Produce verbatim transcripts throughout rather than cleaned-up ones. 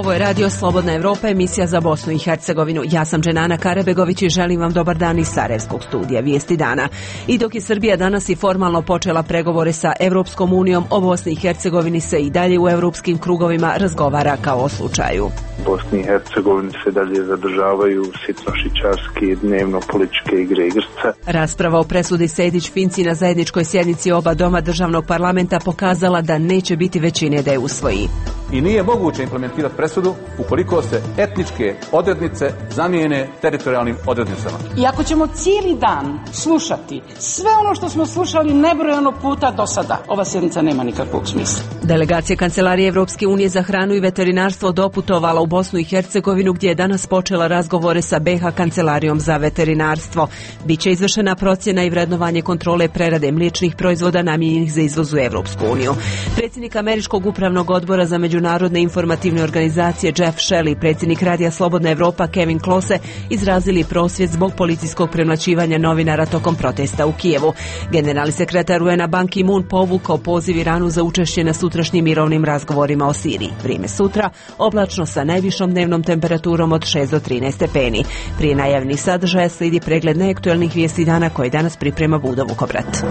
Ovo je Radio Slobodna Evropa, emisija za Bosnu i Hercegovinu. Ja sam Dženana Karebegović i želim vam dobar dan iz Sarajevskog studija Vijesti dana. I dok je Srbija danas i formalno počela pregovore sa Evropskom unijom, o Bosni i Hercegovini se i dalje u evropskim krugovima razgovara kao o slučaju. Bosni i Hercegovini se dalje zadržavaju sitnošićarski dnevno političke igre igrca. Rasprava o presudi Sejdić-Finci na zajedničkoj sjednici oba doma državnog parlamenta pokazala da neće biti većine da je usvoji. I nije moguće implementirati presudu ukoliko se etničke odrednice zamijene teritorijalnim odrednicama. I ako ćemo cijeli dan slušati sve ono što smo slušali nebrojano puta do sada, ova sjednica nema nikakvog smisla. Delegacija Kancelarije Evropske unije za hranu i veterinarstvo doputovala u Bosnu i Hercegovinu, gdje je danas počela razgovore sa be ha Kancelarijom za veterinarstvo. Biće izvršena procjena i vrednovanje kontrole prerade mliječnih proizvoda namijenjenih za izvoz u Evropsku uniju. Predsjednik Američkog upravnog odbora za međunarodne informativne organizacije Jeff Shell i predsjednik Radija Slobodna Evropa Kevin Klose izrazili prosvjed zbog policijskog premlaćivanja novinara tokom protesta u Kijevu. Generalni sekretar u en a Ban Ki-moon povukao poziv Iranu za učešće na sutrašnjim mirovnim razgovorima o Siriji. Vrijeme sutra oblačno sa najvišom dnevnom temperaturom od šest do trinaest stepeni. Prije najavnih sadržaja slijedi pregled neaktualnih vijesti dana koje danas priprema Budo Vukobrat.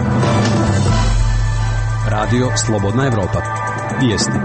Radio Slobodna Evropa. Vijesti.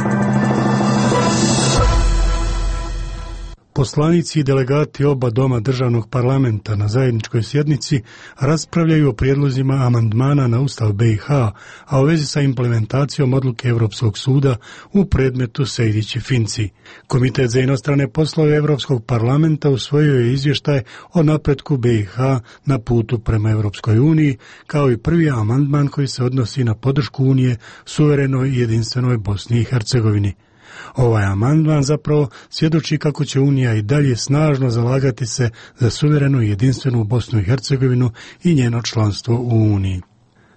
Poslanici i delegati oba doma državnog parlamenta na zajedničkoj sjednici raspravljaju o prijedlozima amandmana na Ustav be i ha, a u vezi sa implementacijom odluke Europskog suda u predmetu Sejdić-Finci. Komitet za inostrane poslove Europskog parlamenta usvojio je izvještaj o napretku be i ha na putu prema Europskoj uniji, kao i prvi amandman koji se odnosi na podršku Unije suverenoj i jedinstvenoj Bosni i Hercegovini. Ovaj amandman zapravo svjedoči kako će Unija i dalje snažno zalagati se za suverenu i jedinstvenu Bosnu i Hercegovinu i njeno članstvo u Uniji.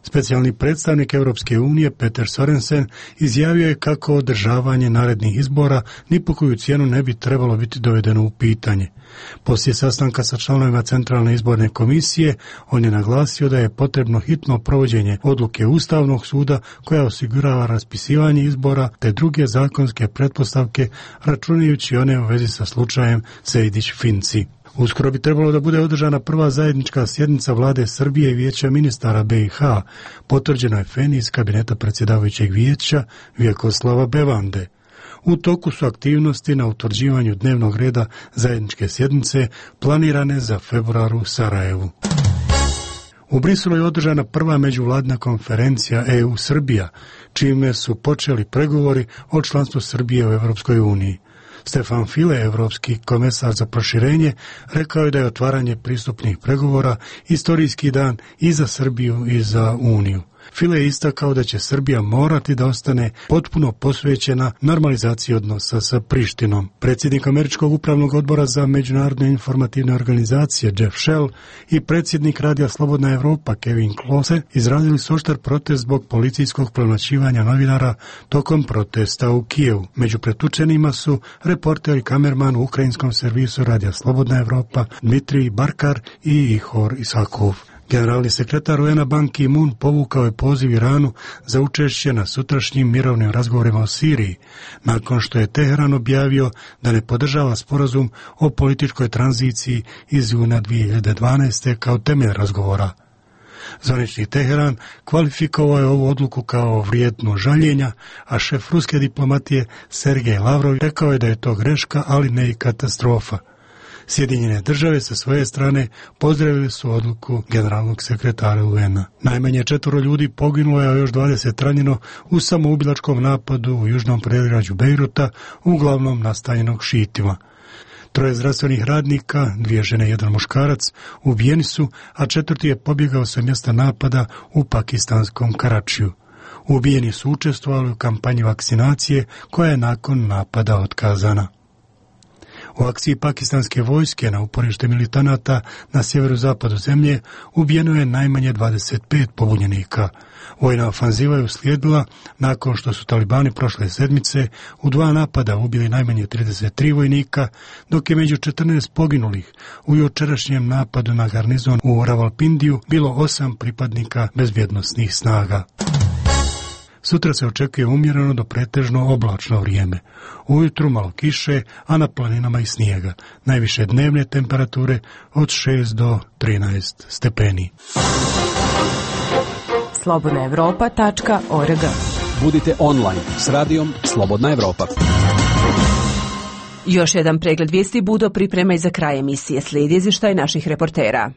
Specijalni predstavnik Europske unije Peter Sorensen izjavio je kako održavanje narednih izbora ni po koju cijenu ne bi trebalo biti dovedeno u pitanje. Poslije sastanka sa članovima Centralne izborne komisije, on je naglasio da je potrebno hitno provođenje odluke Ustavnog suda koja osigurava raspisivanje izbora te druge zakonske pretpostavke, računajući one u vezi sa slučajem Sejdić-Finci. Uskoro bi trebalo da bude održana prva zajednička sjednica vlade Srbije i vijeća ministara be i ha, potvrđeno je Feni iz kabineta predsjedavajućeg vijeća Vjekoslava Bevande. U toku su aktivnosti na utvrđivanju dnevnog reda zajedničke sjednice planirane za februar u Sarajevu. U Briselu je održana prva međuvladina konferencija e u-Srbija, čime su počeli pregovori o članstvu Srbije u Europskoj uniji. Stefan File, evropski komesar za proširenje, rekao je da je otvaranje pristupnih pregovora istorijski dan i za Srbiju i za Uniju. File je istakao da će Srbija morati da ostane potpuno posvećena normalizaciji odnosa sa Prištinom. Predsjednik Američkog upravnog odbora za međunarodne informativne organizacije Jeff Shell i predsjednik Radija Slobodna Evropa Kevin Klose izrazili su oštar protest zbog policijskog premlaćivanja novinara tokom protesta u Kijevu. Među pretučenima su reporter i kamerman u ukrajinskom servisu Radija Slobodna Evropa Dmitrij Barkar i Ihor Isakov. Generalni sekretar u en a Ban Ki-moon povukao je poziv Iranu za učešće na sutrašnjim mirovnim razgovorima o Siriji, nakon što je Teheran objavio da ne podržava sporazum o političkoj tranziciji iz juna dvije hiljade dvanaeste. kao temelj razgovora. Zvanični Teheran kvalifikovao je ovu odluku kao vrijednu žaljenja, a šef ruske diplomatije Sergej Lavrov rekao je da je to greška, ali ne i katastrofa. Sjedinjene države sa svoje strane pozdravili su odluku generalnog sekretara u en a. Najmanje četvoro ljudi poginulo je, a još dvadeset ranjeno u samoubilačkom napadu u južnom predgrađu Bejruta, uglavnom nastanjenog šiitima. Troje zdravstvenih radnika, dvije žene i jedan muškarac, ubijeni su, a četvrti je pobjegao sa mjesta napada u pakistanskom Karačiju. Ubijeni su učestvovali u kampanji vakcinacije koja je nakon napada otkazana. U akciji pakistanske vojske na uporište militanata na sjeverozapadu zemlje ubijeno je najmanje dvadeset pet pobunjenika. Vojna ofanziva je uslijedila nakon što su talibani prošle sedmice u dva napada ubili najmanje trideset tri vojnika, dok je među četrnaest poginulih u jučerašnjem napadu na garnizon u Ravalpindiju bilo osam pripadnika bezbjednosnih snaga. Sutra se očekuje umjereno do pretežno oblačno vrijeme. Ujutru malo kiše, a na planinama i snijega. Najviše dnevne temperature od šest do trinaest stepeni. slobodna evropa tačka org. Budite online s radijom Slobodna Evropa. Još jedan pregled vijesti Budo priprema i za kraj emisije. Slijedi izvještaj naših reportera.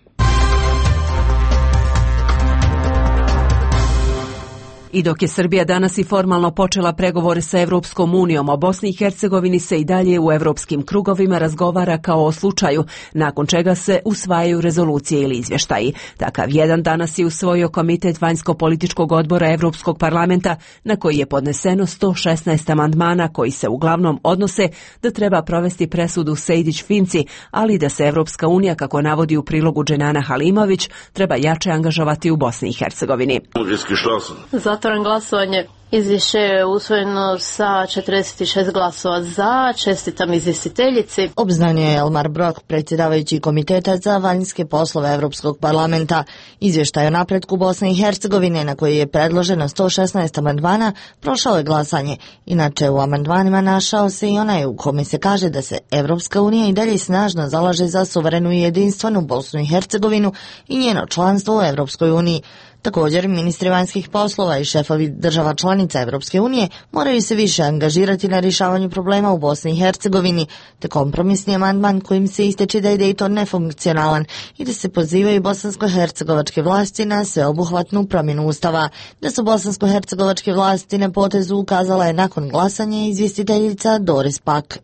I dok je Srbija danas i formalno počela pregovore sa Evropskom unijom, o Bosni i Hercegovini se i dalje u evropskim krugovima razgovara kao o slučaju, nakon čega se usvajaju rezolucije ili izvještaji. Takav jedan danas je usvojio Komitet vanjsko-političkog odbora Evropskog parlamenta, na koji je podneseno sto šesnaest amandmana koji se uglavnom odnose da treba provesti presudu Sejdić-Finci, ali da se Evropska unija, kako navodi u prilogu Dženana Halimović, treba jače angažovati u Bosni i Hercegovini. Zatvaram glasovanje. Izvješće je usvojeno sa četrdeset šest glasova za. Čestitam izvjestiteljici. Obznanio je Elmar Brok, predsjedavajući Komiteta za vanjske poslove Europskog parlamenta. Izvještaj o napretku Bosne i Hercegovine, na koji je predloženo sto šesnaest amandmana, prošao je glasanje. Inače, u amandmanima našao se i onaj u kome se kaže da se Evropska unija i dalje snažno zalaže za suverenu i jedinstvenu Bosnu i Hercegovinu i njeno članstvo u Evropskoj uniji. Također, ministri vanjskih poslova i šefovi država članica Evropske unije moraju se više angažirati na rješavanju problema u Bosni i Hercegovini, te kompromisni amandman kojim se ističe da je Dayton nefunkcionalan i da se pozivaju bosansko-hercegovačke vlasti na sveobuhvatnu promjenu ustava. Da su bosansko-hercegovačke vlasti na potezu ukazala je nakon glasanja izvjestiteljica Doris Pack.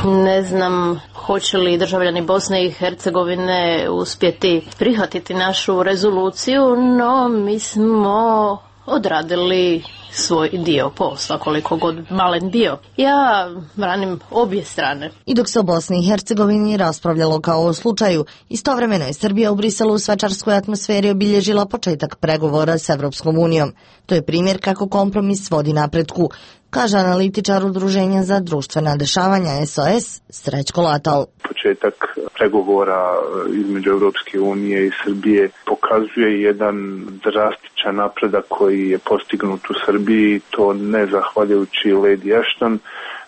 Ne znam hoće li državljani Bosne i Hercegovine uspjeti prihvatiti našu rezoluciju, no mi smo odradili svoj dio posla, koliko god malen bio. Ja branim obje strane. I dok se o Bosni i Hercegovini raspravljalo kao o slučaju, istovremeno je Srbija u Briselu u svečarskoj atmosferi obilježila početak pregovora s Evropskom unijom. To je primjer kako kompromis vodi napretku, kaže analitičar Udruženja za društvena dešavanja S O S Srećko Latal. Početak pregovora između Evropske unije i Srbije pokazuje jedan drastičan napredak koji je postignut u Srbiji, to ne zahvaljujući Lady Ashton,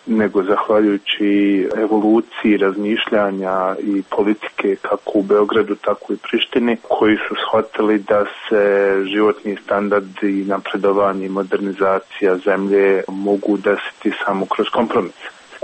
nego zahvaljujući evoluciji razmišljanja i politike kako u Beogradu, tako i Prištini, koji su shvatili da se životni standardi i napredovanje i modernizacija zemlje mogu desiti samo kroz kompromis.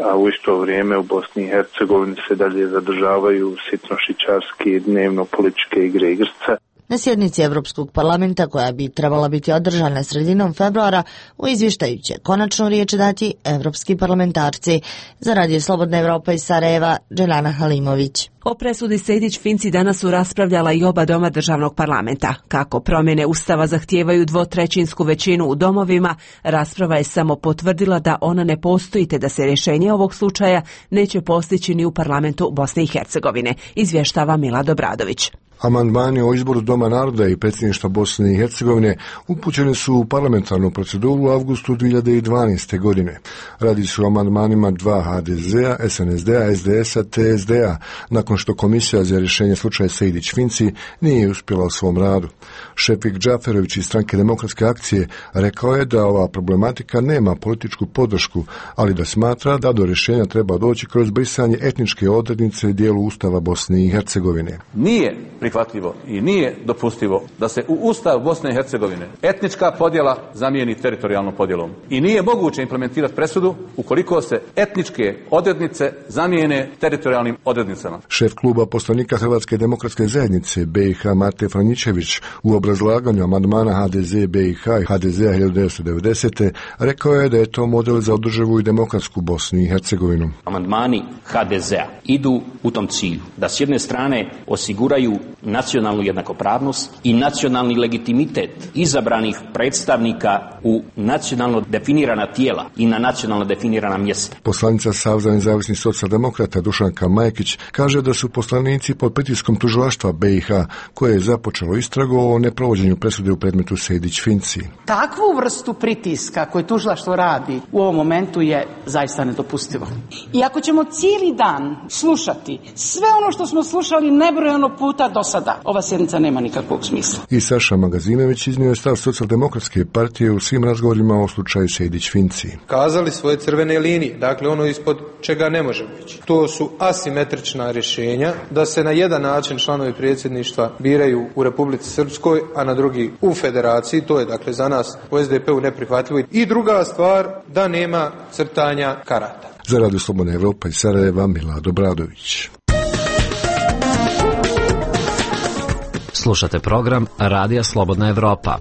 A u isto vrijeme u Bosni i Hercegovini se dalje zadržavaju sitnošićarski dnevno političke igre i igrce. Na sjednici Evropskog parlamenta, koja bi trebala biti održana sredinom februara, u izvještaju će konačnu riječ dati evropski parlamentarci. Za Radio Slobodna Evropa iz Sarajeva, Dženana Halimović. O presudi Sejdić-Finci danas su raspravljala i oba doma državnog parlamenta. Kako promjene Ustava zahtijevaju dvotrećinsku većinu u domovima, rasprava je samo potvrdila da ona ne postoji te da se rješenje ovog slučaja neće postići ni u parlamentu Bosne i Hercegovine, izvještava Milad Obradović. Amandmani o izboru Doma naroda i predsjedništva Bosne i Hercegovine upućeni su u parlamentarnu proceduru u avgustu dvije hiljade dvanaeste. godine. Radi se o amandmanima dva H D Z-a, S N S D-a, S D S-a te S D-a, nakon što Komisija za rješenje slučaja Sejdić-Finci nije uspjela u svom radu. Šefik Džaferović iz Stranke demokratske akcije rekao je da ova problematika nema političku podršku, ali da smatra da do rješenja treba doći kroz brisanje etničke odrednice dijelu Ustava Bosne i Hercegovine. Nije prihvatljivo i nije dopustivo da se u Ustav Bosne i Hercegovine etnička podjela zamijeni teritorijalnom podjelom. I nije moguće implementirati presudu ukoliko se etničke odrednice zamijene teritorijalnim odrednicama. Šef kluba poslanika Hrvatske demokratske zajednice B i H Mate Franjičević u obrazlaganju amandmana H D Z B i H i H D Z-a hiljadu devetsto devedesete. rekao je da je to model za održivu i demokratsku Bosnu i Hercegovinu. Amandmani H D Z-a idu u tom cilju da s jedne strane osiguraju nacionalnu jednakopravnost i nacionalni legitimitet izabranih predstavnika u nacionalno definirana tijela i na nacionalno definirana mjesta. Poslanica Saveza nezavisnih socijaldemokrata Dušanka Majkić kaže da su poslanici pod pritiskom tužilaštva B i H koje je započelo istragu o neprovođenju presude u predmetu Sejdić-Finci. Takvu vrstu pritiska koje tužilaštvo radi u ovom momentu je zaista nedopustivo. I ako ćemo cijeli dan slušati sve ono što smo slušali nebrojeno puta do sada, ova sjednica nema nikakvog smisla. I Saša Magazinović iznio je stav Socijaldemokratske partije u svim razgovorima o slučaju Sejdić-Finci. Kazali svoje crvene linije, dakle ono ispod čega ne može biti. To su asimetrična rješenja, da se na jedan način članovi predsjedništva biraju u Republici Srpskoj, a na drugi u Federaciji. To je dakle za nas u S D P-u neprihvatljivo. I druga stvar, da nema crtanja karata. Za Radio Slobodna Evropa iz Sarajeva, Milado Bradović. Slušate program Radija Slobodna Evropa.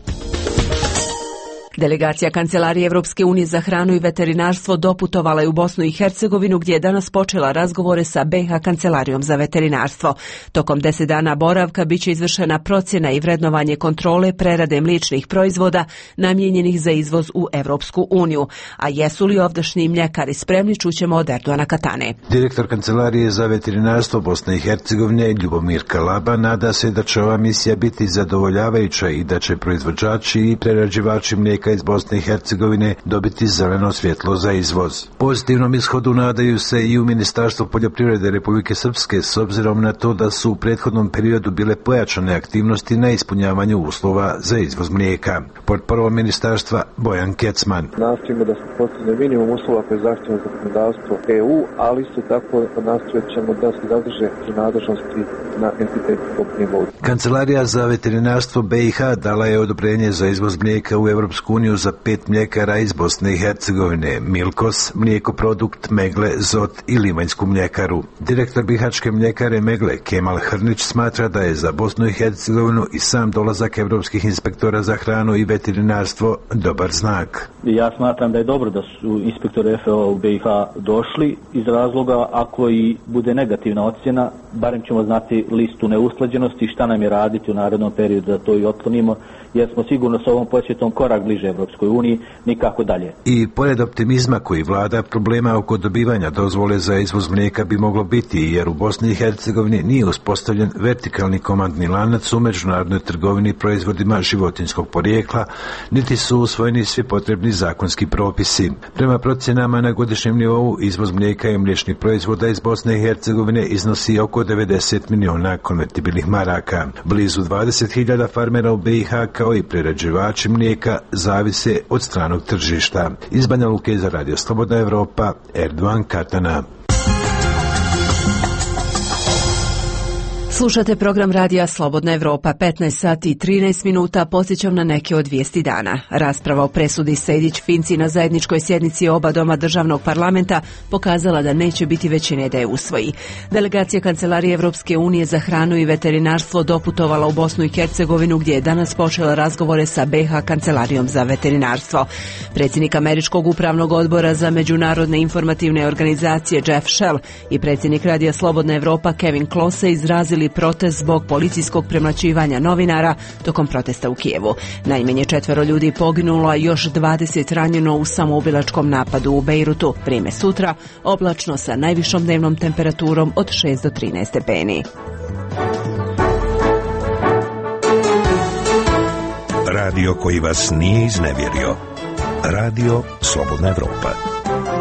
Delegacija Kancelarije Evropske unije za hranu i veterinarstvo doputovala je u Bosnu i Hercegovinu gdje je danas počela razgovore sa B i H Kancelarijom za veterinarstvo. Tokom deset dana boravka biće izvršena procjena i vrednovanje kontrole prerade mliječnih proizvoda namijenjenih za izvoz u Evropsku uniju. A jesu li ovdašnji mljekari spremni, čućemo od Erdoana Katane. Direktor Kancelarije za veterinarstvo Bosne i Hercegovine Ljubomir Kalaba nada se da će ova misija biti zadovoljavajuća i da će proizvođači i prerađivači mlijeka iz Bosne i Hercegovine dobiti zeleno svjetlo za izvoz. Pozitivnom ishodu nadaju se i u Ministarstvu poljoprivrede Republike Srpske s obzirom na to da su u prethodnom periodu bile pojačane aktivnosti na ispunjavanju uslova za izvoz mlijeka. Portparol ministarstva Bojan Kecman. Nastojimo da se postigne minimum uslova koje zahtjeva zakonodavstvo E U, ali isto tako nastojat ćemo da se zadrže nadležnosti na entitetskom nivou. Kancelarija za veterinarstvo B i H dala je odobrenje za izvoz mlijeka u Evropsku uniju za pet mljekara iz Bosne i Hercegovine, Milkos, mlijekoprodukt, Megle, Zot i Livanjsku mljekaru. Direktor bihačke mljekare Megle, Kemal Hrnić, smatra da je za Bosnu i Hercegovinu i sam dolazak evropskih inspektora za hranu i veterinarstvo dobar znak. Ja smatram da je dobro da su inspektori F A O u B i H došli iz razloga ako i bude negativna ocjena, barem ćemo znati listu neusklađenosti, šta nam je raditi u narednom periodu da to i otklonimo, jer smo sigurno s ovom posjetom korak bliže Evropskoj uniji, nikako dalje. I pored optimizma koji vlada, problema oko dobivanja dozvole za izvoz mlijeka bi moglo biti, jer u Bosni i Hercegovini nije uspostavljen vertikalni komandni lanac u međunarodnoj trgovini proizvodima životinjskog porijekla, niti su usvojeni svi potrebni zakonski propisi. Prema procjenama na godišnjem nivou, izvoz mlijeka i mliječnih proizvoda iz Bosne i Hercegovine iznosi oko devedeset miliona konvertibilnih maraka. Blizu dvadeset hiljada farmera u B i H kao i prerađivači mlijeka zavise od stranog tržišta. Iz Banja Luke za Radio Slobodna Evropa, Erdoan Katana. Slušate program Radija Slobodna Evropa, petnaest sati i trinaest minuta, podsjećam na neke od vijesti dana. Rasprava o presudi Sejdić-Finci na zajedničkoj sjednici oba doma državnog parlamenta pokazala da neće biti većine da je usvoji. Delegacija Kancelarije Evropske unije za hranu i veterinarstvo doputovala u Bosnu i Hercegovinu gdje je danas počela razgovore sa B i H Kancelarijom za veterinarstvo. Predsjednik Američkog upravnog odbora za međunarodne informativne organizacije Jeff Shell i predsjednik Radija Slobodna Evropa Kevin Klose izrazili protest zbog policijskog premlaćivanja novinara tokom protesta u Kijevu. Najmanje četvero ljudi poginulo, a još dvadeset ranjeno u samoubilačkom napadu u Bejrutu. Vrijeme sutra, oblačno sa najvišom dnevnom temperaturom od šest do trinaest stepeni. Radio koji vas nije iznevjerio. Radio Slobodna Evropa.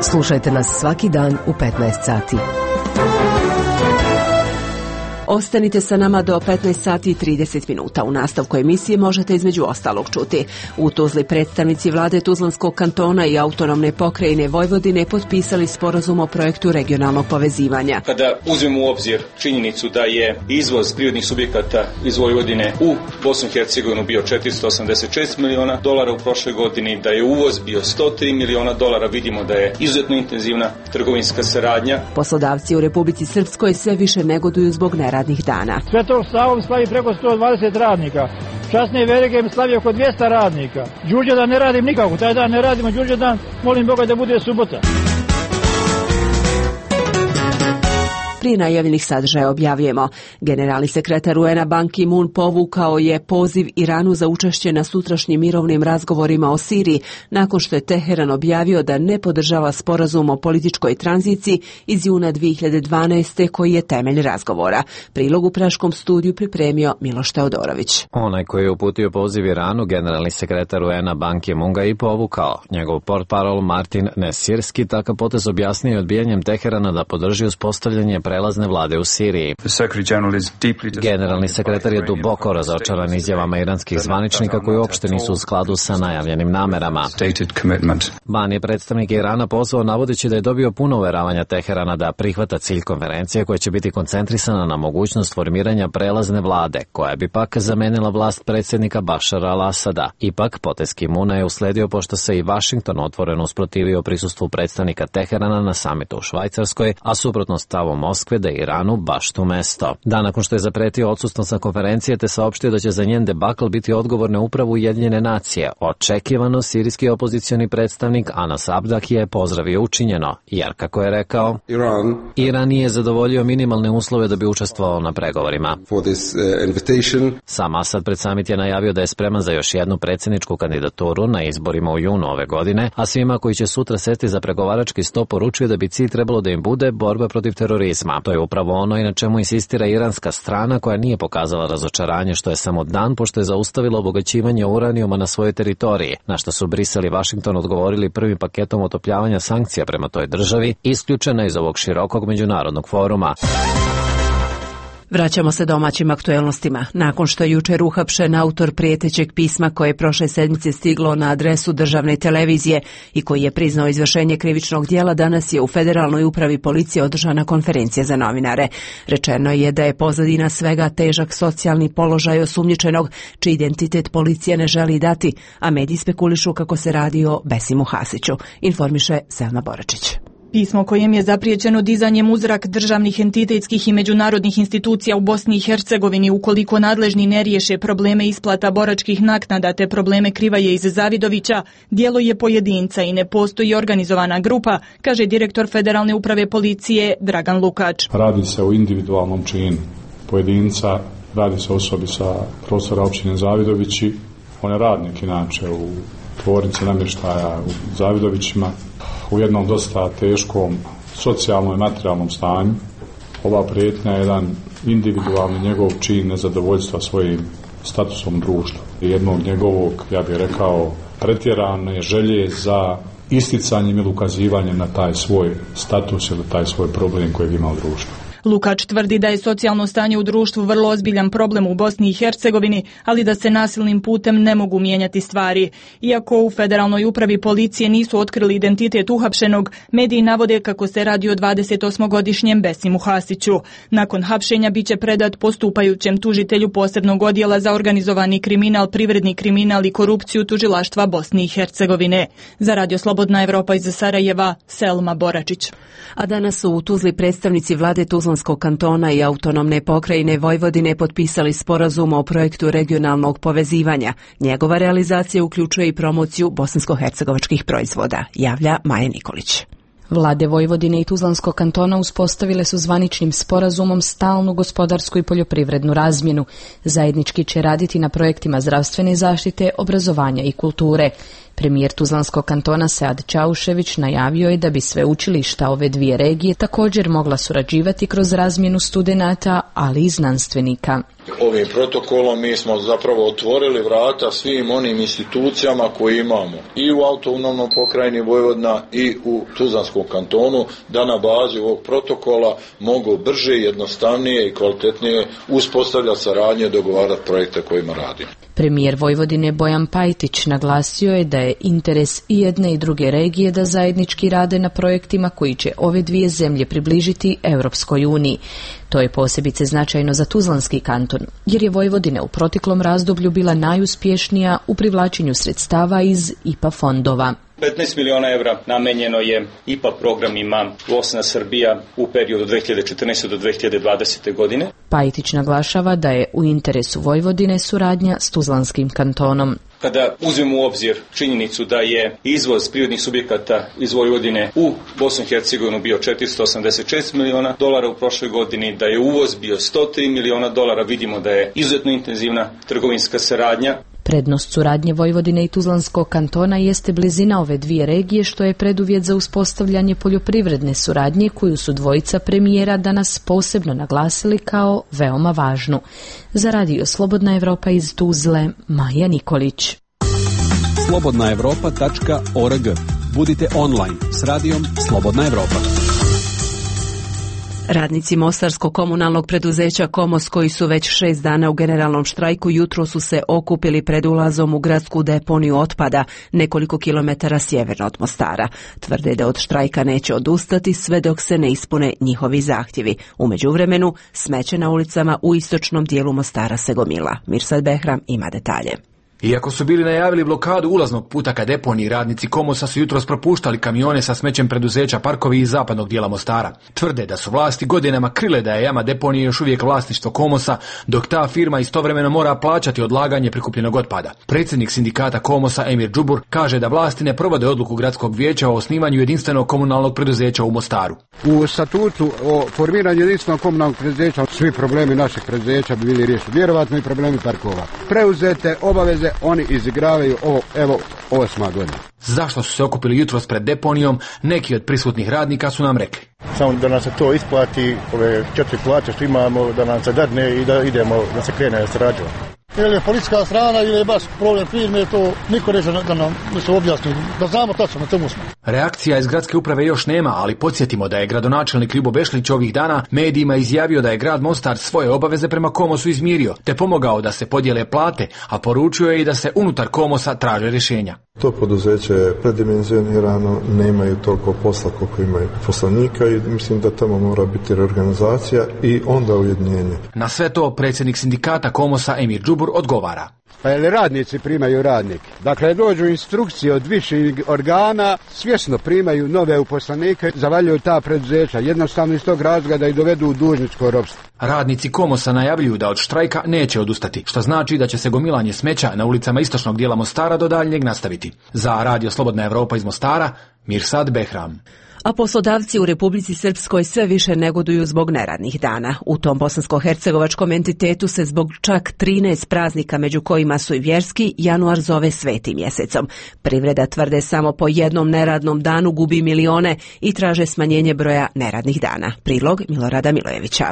Slušajte nas svaki dan u petnaest sati. Ostanite sa nama do petnaest sati i trideset minuta. U nastavku emisije možete između ostalog čuti. U Tuzli predstavnici vlade Tuzlanskog kantona i autonomne pokrajine Vojvodine potpisali sporazum o projektu regionalnog povezivanja. Kada uzmemo u obzir činjenicu da je izvoz prirodnih subjekata iz Vojvodine u Bosnu i Hercegovinu bio četiristo osamdeset šest miliona dolara u prošloj godini, da je uvoz bio sto tri miliona dolara, vidimo da je izuzetno intenzivna trgovinska saradnja. Poslodavci u Republici Srpskoj sve više negoduju zbog neradnih dana. Svetog Savom slavi preko sto dvadeset radnika. Časne Verige slavi oko dvjesto radnika. Đurđevdan ne radim nikako, taj dan ne radimo Đurđevdan, molim Boga da bude subota. Prije najavljenih sadržaja objavljujemo. Generalni sekretar U N A Ban Ki-moon povukao je poziv Iranu za učešće na sutrašnjim mirovnim razgovorima o Siriji, nakon što je Teheran objavio da ne podržava sporazum o političkoj tranziciji iz juna dvije hiljade dvanaeste koji je temelj razgovora. Prilog u praškom studiju pripremio Miloš Teodorović. Onaj koji je uputio poziv Iranu, generalni sekretar U N A Ban Ki-moon ga i povukao. Njegov portparol Martin Nesirski takav potez objasnio odbijanjem Teherana da podrži uspostavljanje prelazne vlade u Siriji. Generalni sekretar je duboko razočaran izjavama iranskih zvaničnika koji uopšte nisu u skladu sa najavljenim namerama. Ban je predstavnik Irana pozvao navodeći da je dobio puno uveravanja Teherana da prihvata cilj konferencije koja će biti koncentrisana na mogućnost formiranja prelazne vlade, koja bi pak zamenila vlast predsjednika Bašara al-Asada. Ipak, potez Ki-moona je usledio pošto se i Vašington otvoreno usprotivio prisustvu predstavnika Teherana na samitu u Švajcarskoj, a suprotno stavu Moskve da je Iranu baš tu mesto. Dan nakon što je zapretio odsustnost sa konferencije te saopštio da će za njen debakl biti odgovorne upravo Ujedinjene nacije, očekivano sirijski opozicioni predstavnik Anas Abdaki je pozdravio učinjeno, jer kako je rekao, Iran, Iran nije zadovoljio minimalne uslove da bi učestvovao na pregovorima. This, uh, Sam Asad pred samit je najavio da je spreman za još jednu predsjedničku kandidaturu na izborima u junu ove godine, a svima koji će sutra sesti za pregovarački sto poručuje da bi cilj trebalo da im bude borba protiv terorizma. To je upravo ono i na čemu insistira iranska strana koja nije pokazala razočaranje što je samo dan pošto je zaustavila obogaćivanje uranijuma na svojoj teritoriji, na što su Brisel i Vašington odgovorili prvim paketom otopljavanja sankcija prema toj državi, isključena iz ovog širokog međunarodnog foruma. Vraćamo se domaćim aktuelnostima. Nakon što je jučer uhapšen autor prijetećeg pisma koje je prošle sedmice stiglo na adresu državne televizije i koji je priznao izvršenje krivičnog djela, danas je u Federalnoj upravi policije održana konferencija za novinare. Rečeno je da je pozadina svega težak socijalni položaj osumnjičenog, čiji identitet policija ne želi dati, a mediji spekulišu kako se radi o Besimu Hasiću, informiše Selma Boračić. Pismo kojem je zapriječeno dizanjem u zrak državnih entitetskih i međunarodnih institucija u Bosni i Hercegovini ukoliko nadležni ne riješe probleme isplata boračkih naknada te probleme Krivaje iz Zavidovića, djelo je pojedinca i ne postoji organizovana grupa, kaže direktor Federalne uprave policije Dragan Lukač. Radi se o individualnom činu pojedinca, radi se o osobi sa prostora općine Zavidovići. On je radnik inače u tvornici namještaja u Zavidovićima, u jednom dosta teškom socijalnom i materijalnom stanju. Ova prijetnja je jedan individualni njegov čin nezadovoljstva svojim statusom društva. Jednog njegovog, ja bih rekao, pretjerane želje za isticanjem ili ukazivanjem na taj svoj status ili taj svoj problem kojeg ima u društvu. Lukač tvrdi da je socijalno stanje u društvu vrlo ozbiljan problem u Bosni i Hercegovini, ali da se nasilnim putem ne mogu mijenjati stvari. Iako u Federalnoj upravi policije nisu otkrili identitet uhapšenog, mediji navode kako se radi o dvadesetosmogodišnjem Besimu Hasiću. Nakon hapšenja biće predat postupajućem tužitelju posebnog odjela za organizovani kriminal, privredni kriminal i korupciju tužilaštva Bosne i Hercegovine. Za Radio Slobodna Evropa iz Sarajeva, Selma Boračić. A danas su u Tuzli predstavnici vlade Tuzlanskog kantona i autonomne pokrajine Vojvodine potpisali sporazum o projektu regionalnog povezivanja. Njegova realizacija uključuje i promociju bosansko-hercegovačkih proizvoda, javlja Maja Nikolić. Vlade Vojvodine i Tuzlanskog kantona uspostavile su zvaničnim sporazumom stalnu gospodarsku i poljoprivrednu razmjenu. Zajednički će raditi na projektima zdravstvene zaštite, obrazovanja i kulture. Premijer Tuzlanskog kantona Sead Čaušević najavio je da bi sve učilišta ove dvije regije također mogla surađivati kroz razmjenu studenata, ali i znanstvenika. Ovim protokolom mi smo zapravo otvorili vrata svim onim institucijama koje imamo i u autonomnom pokrajini Vojvodina i u Tuzlanskom kantonu da na bazi ovog protokola mogu brže, jednostavnije i kvalitetnije uspostavljati saradnje i dogovarati projekte kojima radimo. Premijer Vojvodine Bojan Pajtić naglasio je da je interes i jedne i druge regije da zajednički rade na projektima koji će ove dvije zemlje približiti Europskoj uniji. To je posebice značajno za Tuzlanski kanton, jer je Vojvodina u proteklom razdoblju bila najuspješnija u privlačenju sredstava iz I P A fondova. petnaest miliona evra namenjeno je I P A programima Bosna Srbija u periodu dve hiljade četrnaeste do dve hiljade dvadesete godine. Pajtić naglašava da je u interesu Vojvodine suradnja s Tuzlanskim kantonom. Kada uzmemo u obzir činjenicu da je izvoz prirodnih subjekata iz Vojvodine u Bosnu i Hercegovinu bio četiristo osamdeset šest miliona dolara u prošloj godini, da je uvoz bio sto tri miliona dolara, vidimo da je izuzetno intenzivna trgovinska saradnja. Prednost suradnje Vojvodine i Tuzlanskog kantona jeste blizina ove dvije regije, što je preduvjet za uspostavljanje poljoprivredne suradnje koju su dvojica premijera danas posebno naglasili kao veoma važnu. Za radio Slobodna Evropa iz Tuzle, Maja Nikolić. slobodna evropa tačka org. Budite online s radijom Slobodna Evropa. Radnici Mostarskog komunalnog preduzeća Komos, koji su već šest dana u generalnom štrajku, jutro su se okupili pred ulazom u gradsku deponiju otpada nekoliko kilometara sjeverno od Mostara. Tvrde da od štrajka neće odustati sve dok se ne ispune njihovi zahtjevi. U međuvremenu smeće na ulicama u istočnom dijelu Mostara se gomila. Mirsad Behram ima detalje. Iako su bili najavili blokadu ulaznog puta ka deponiji, radnici Komosa su jutros propuštali kamione sa smećem preduzeća Parkovi iz zapadnog dijela Mostara. Tvrde da su vlasti godinama krile da je jama deponije još uvijek vlasništvo Komosa, dok ta firma istovremeno mora plaćati odlaganje prikupljenog otpada. Predsjednik sindikata Komosa Emir Džubur kaže da vlasti ne provode odluku gradskog vijeća o osnivanju jedinstvenog komunalnog preduzeća u Mostaru. U statutu o formiranju jedinstvenog komunalnog preduzeća svi problemi naših preduzeća bi bili riješeni. Vjerovatno i problemi parkova. Preuzete obaveze oni izigravaju ovo, evo, osma godina. Zašto su se okupili jutros pred deponijom, neki od prisutnih radnika su nam rekli. Samo da nam se to isplati, ove četiri plaće što imamo, da nam se dadne i da idemo, da se krene sarađivati. Ili je policijska strana ili je baš problem firme, to niko neće da nam se objasni, da znamo tačno na čemu smo. Reakcija iz gradske uprave još nema, ali podsjetimo da je gradonačelnik Ljubo Bešlić ovih dana medijima izjavio da je grad Mostar svoje obaveze prema Komosu izmirio, te pomogao da se podijele plate, a poručio je i da se unutar Komosa traže rješenja. To poduzeće je predimenzionirano, nemaju toliko posla koliko imaju poslanika i mislim da tamo mora biti reorganizacija i onda ujedinjenje. Na sve to predsjednik sindikata Komosa Emir Džubur odgovara. Pa je li radnici primaju radnike? Dakle, dođu instrukcije od viših organa, svjesno primaju nove uposlenike, zavaljuju ta preduzeća, jednostavno iz tog razloga da ih dovedu u dužničko ropstvo. Radnici Komosa najavljuju da od štrajka neće odustati, što znači da će se gomilanje smeća na ulicama istočnog dijela Mostara do daljnjeg nastaviti. Za radio Slobodna Evropa iz Mostara, Mirsad Behram. A poslodavci u Republici Srpskoj sve više negoduju zbog neradnih dana. U tom bosansko-hercegovačkom entitetu se zbog čak trinaest praznika, među kojima su i vjerski, januar zove svetim mjesecom. Privreda, tvrde, samo po jednom neradnom danu gubi milione i traže smanjenje broja neradnih dana. Prilog Milorada Milojevića.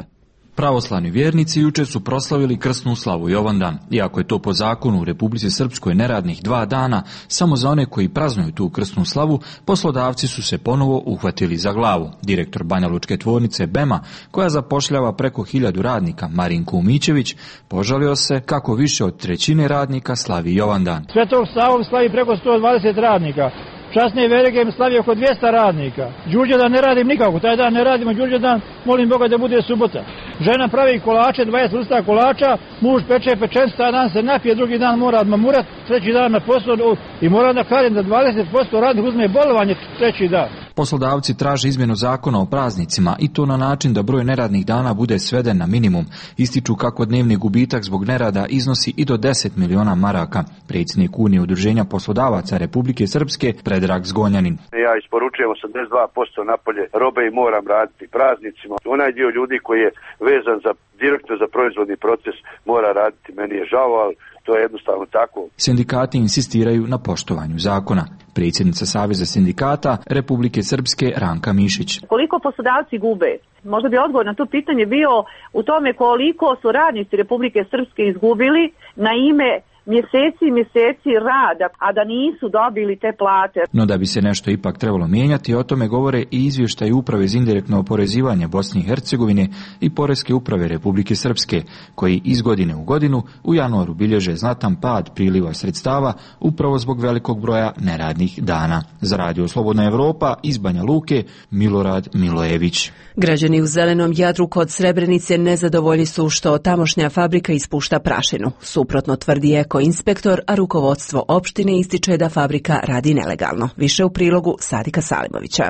Pravoslavni vjernici jučer su proslavili krsnu slavu Jovandan. Iako je to po zakonu u Republici Srpskoj neradnih dva dana, samo za one koji praznuju tu krsnu slavu, poslodavci su se ponovo uhvatili za glavu. Direktor Banjalučke tvornice Bema, koja zapošljava preko hiljadu radnika, Marinko Umićević, požalio se kako više od trećine radnika slavi Jovandan. Svetog Savu slavi preko sto dvadeset radnika. Časni Veregem slavi oko dvjesto radnika. Đurđevdan ne radim nikako, taj dan ne radimo Đurđevdan, molim Boga da bude subota. Žena pravi kolače, dvadeset vrsta kolača, muž peče pečencu, taj dan se napije, drugi dan mora odmamurat, treći dan na poslu i moram da kažem da dvadeset posto radnih uzme bolovanje treći dan. Poslodavci traže izmjenu zakona o praznicima i to na način da broj neradnih dana bude sveden na minimum. Ističu kako dnevni gubitak zbog nerada iznosi i do deset miliona maraka. Predsjednik Unije udruženja poslodavaca Republike Srpske Predrag Zgonjanin. Ja isporučujem osamdeset dva posto napolje robe i moram raditi praznicima. Onaj dio ljudi koji je vezan za direktno za proizvodni proces mora raditi. Meni je žao, ali to je jednostavno tako. Sindikati insistiraju na poštovanju zakona. Predsjednica Saveza sindikata Republike Srpske Ranka Mišić. Koliko poslodavci gube? Možda bi odgovor na to pitanje bio u tome koliko su radnici Republike Srpske izgubili na ime mjeseci i mjeseci rada, a da nisu dobili te plate. No da bi se nešto ipak trebalo mijenjati, o tome govore i izvještaj Uprave za indirektno oporezivanje Bosne i Hercegovine i Poreske uprave Republike Srpske, koji iz godine u godinu u januaru bilježe znatan pad priliva sredstava upravo zbog velikog broja neradnih dana. Za radio Slobodna Evropa iz Banja Luke, Milorad Milojević. Građani u Zelenom Jadru kod Srebrenice nezadovoljni su što tamošnja fabrika ispušta prašinu. Suprotno tvrdi eko-inspektor, a rukovodstvo opštine ističe da fabrika radi nelegalno. Više u prilogu Sadika Salimovića.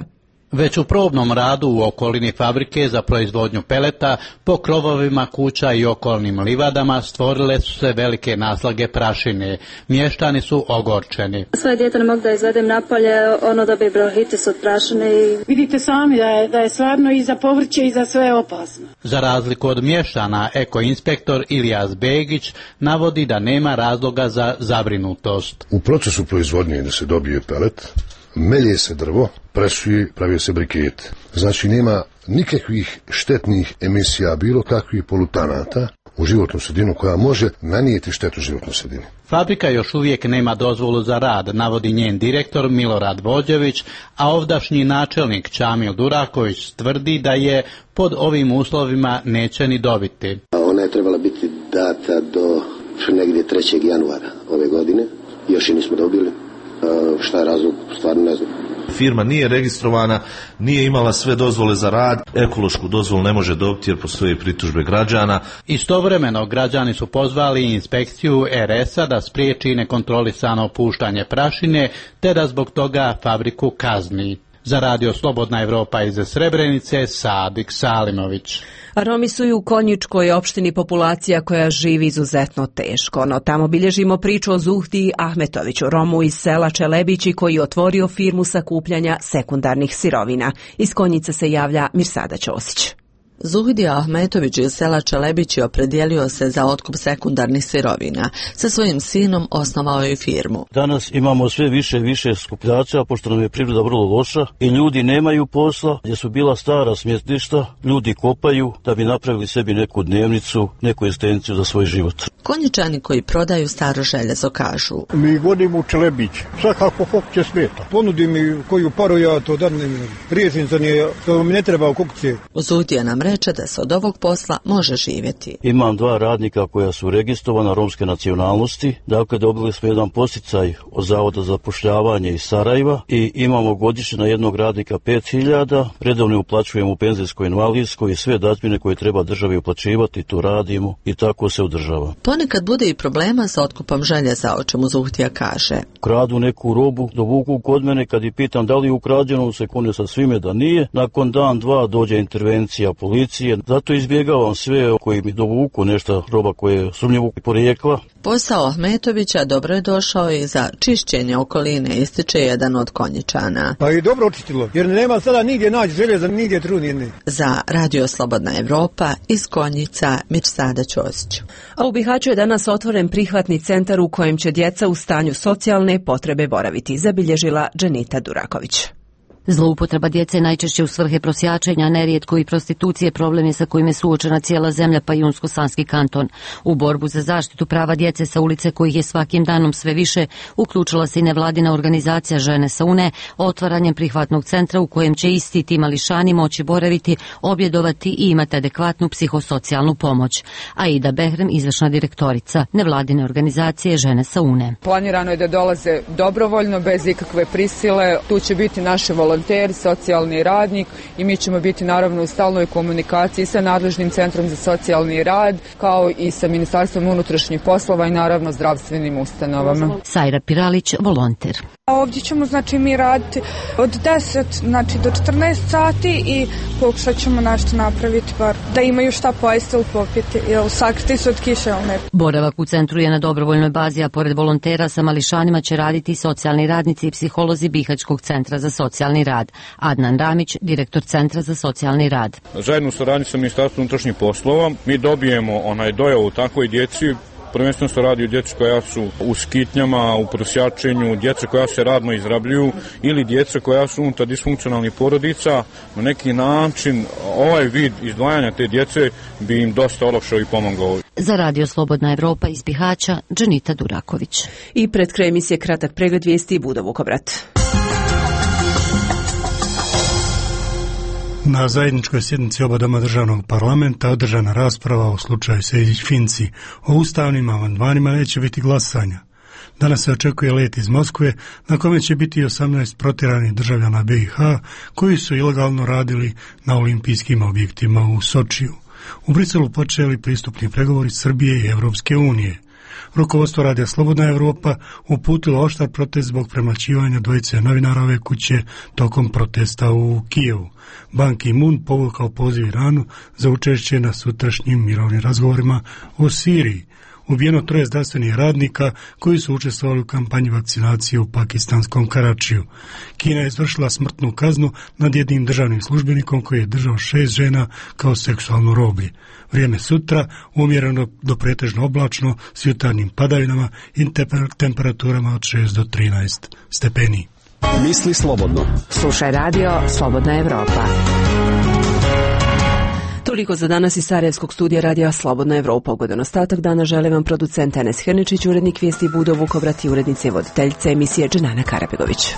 Već u probnom radu u okolini fabrike za proizvodnju peleta po krovovima kuća i okolnim livadama stvorile su se velike naslage prašine. Mještani su ogorčeni. Svoje dijete ne mogu da izvedem napolje, ono dobije bronhitis od prašine. I... Vidite sami da je, da je stvarno i za povrće i za sve opasno. Za razliku od mještana, ekoinspektor Ilijas Begić navodi da nema razloga za zabrinutost. U procesu proizvodnje da se dobije pelet, melje se drvo, presuje, pravi se brikete. Znači nema nikakvih štetnih emisija, bilo kakvih polutanata u životnu sredinu koja može nanijeti štetu životnoj sredini. Fabrika još uvijek nema dozvolu za rad, navodi njen direktor Milorad Vođević, a ovdašnji načelnik Čamil Duraković tvrdi da je pod ovim uslovima neće ni dobiti. Ona je trebala biti data do negdje trećeg januara ove godine, još i nismo dobili. Šta je razlog, stvarno ne znam. Firma nije registrovana, nije imala sve dozvole za rad, ekološku dozvolu ne može dobiti jer postoje pritužbe građana. Istovremeno građani su pozvali inspekciju er es a da spriječi nekontrolisano puštanje prašine, te da zbog toga fabriku kazni. Za radio Slobodna Evropa iz Srebrenice, Sadik Salimović. Romi su i u Konjičkoj opštini populacija koja živi izuzetno teško, no tamo bilježimo priču o Zuhdi Ahmetoviću, Romu iz sela Čelebići koji je otvorio firmu sakupljanja sekundarnih sirovina. Iz Konjice se javlja Mirsada Ćosić. Zuhdi Ahmetović iz sela Čelebići opredijelio se za otkup sekundarnih sirovina. Sa svojim sinom osnovao je firmu. Danas imamo sve više i više skupljača, pošto nam je priroda vrlo loša i ljudi nemaju posla, gdje su bila stara smjetišta, ljudi kopaju da bi napravili sebi neku dnevnicu, neku egzistenciju za svoj život. Konjičani koji prodaju staro željezo kažu: Mi vodimo u Čelebić, svakako hoće smeta. Ponudi mi koju paru, ja to dadnem, riješim za nje, to mi ne treba u kukce. Zuhdija nam reče da se od ovog posla može živjeti. Imam dva radnika koja su registrovana romske nacionalnosti, dakle dobili smo jedan posticaj od Zavoda za zapošljavanje iz Sarajeva i imamo godišnje na jednog radnika pet hiljada, redovno uplaćujemo u penzijsko invalidsko i sve dažbine koje treba državi uplaćivati, tu radimo i tako se održava. Ponekad bude i problema sa otkupom željeza, o čemu Zuhtija kaže. Kradu neku robu, dovuku kod mene, kad i pitam da li je ukrađeno, se kune sa svime da nije, nakon dan, dva dođe intervencija policije, zato izbjegavam sve koji mi dovuku nešto roba koje je sumnjivog porijekla. Posao Ahmetovića dobro je došao i za čišćenje okoline, ističe jedan od Konjičana. Pa i dobro očistilo, jer nema sada nigdje naći željeza, nigdje trunjene. Za Radio Slobodna Evropa iz Konjica, Mirsada Ćosić. A u Bihaću je danas otvoren prihvatni centar u kojem će djeca u stanju socijalne potrebe boraviti, zabilježila Dženita Duraković. Zloupotreba djece najčešće u svrhe prosjačenja, nerijetko i prostitucije, problem je sa kojim je suočena cijela zemlja pa i Unsko-Sanski kanton. U borbu za zaštitu prava djece sa ulice, kojih je svakim danom sve više, uključila se i nevladina organizacija Žene sa UNE otvaranjem prihvatnog centra u kojem će isti ti mališani moći boraviti, objedovati i imati adekvatnu psihosocijalnu pomoć. Aida Behrem, izvršna direktorica nevladine organizacije Žene sa UNE. Planirano je da dolaze dobrovoljno, bez ikakve prisile. Tu će biti naše volonteri, socijalni radnik i mi ćemo biti naravno u stalnoj komunikaciji sa nadležnim centrom za socijalni rad, kao i sa Ministarstvom unutrašnjih poslova i naravno zdravstvenim ustanovama. Sajra Piralić, volonter. Ovdje ćemo znači mi raditi od deset znači do četrnaest sati i pokušat ćemo nešto napraviti bar da imaju šta pojesti ili popiti, jer sakriti su od kiše. Ne. Boravak u centru je na dobrovoljnoj bazi, a pored volontera sa mališanima će raditi socijalni radnici i psiholozi Bihaćkog centra za socijalni rad. Adnan Ramić, direktor Centra za socijalni rad. Zajedno u saradnji sa Ministarstvom unutrašnjih poslova mi dobijemo onaj dojavu takvoj djeci. Prvenstveno se radi o djeci koja su u skitnjama, u prosjačenju, djece koja se radno izrabljuju ili djece koja su unutar disfunkcionalnih porodica. Na neki način ovaj vid izdvajanja te djece bi im dosta olakšao i pomogao. Za Radio Slobodna Evropa iz Bihaća, Dženita Duraković. I pred kraj emisije kratak pregled vijesti Budo Vukovrat. Na zajedničkoj sjednici oba doma državnog parlamenta održana rasprava o slučaju Sejdić-Finci. O ustavnim amandmanima neće biti glasanja. Danas se očekuje let iz Moskve na kome će biti osamnaest protjeranih državljana B i H koji su ilegalno radili na olimpijskim objektima u Sočiju. U Briselu počeli pristupni pregovori Srbije i Evropske unije. Rukovodstvo Radija Slobodna Evropa uputilo oštar protest zbog premlaćivanja dvojice novinara ove kuće tokom protesta u Kijevu. Ban Ki-moon povukao poziv Iranu za učešće na sutrašnjim mirovnim razgovorima o Siriji. Ubijeno troje zdravstvenih radnika koji su učestvovali u kampanji vakcinacije u pakistanskom Karačiju. Kina je izvršila smrtnu kaznu nad jednim državnim službenikom koji je držao šest žena kao seksualno roblje. Vrijeme sutra umjereno do pretežno oblačno s jutarnjim padavinama i temperaturama od šest do trinaest stepeni. Misli slobodno. Slušaj radio Slobodna Evropa. Toliko za danas iz Sarajevskog studija radija Slobodna Evropa. Ugodan ostatak dana želim vam producent Enes Hrničić, urednik vijesti Budo Vukobrati, urednice i voditeljice emisije Dženana Karabegović.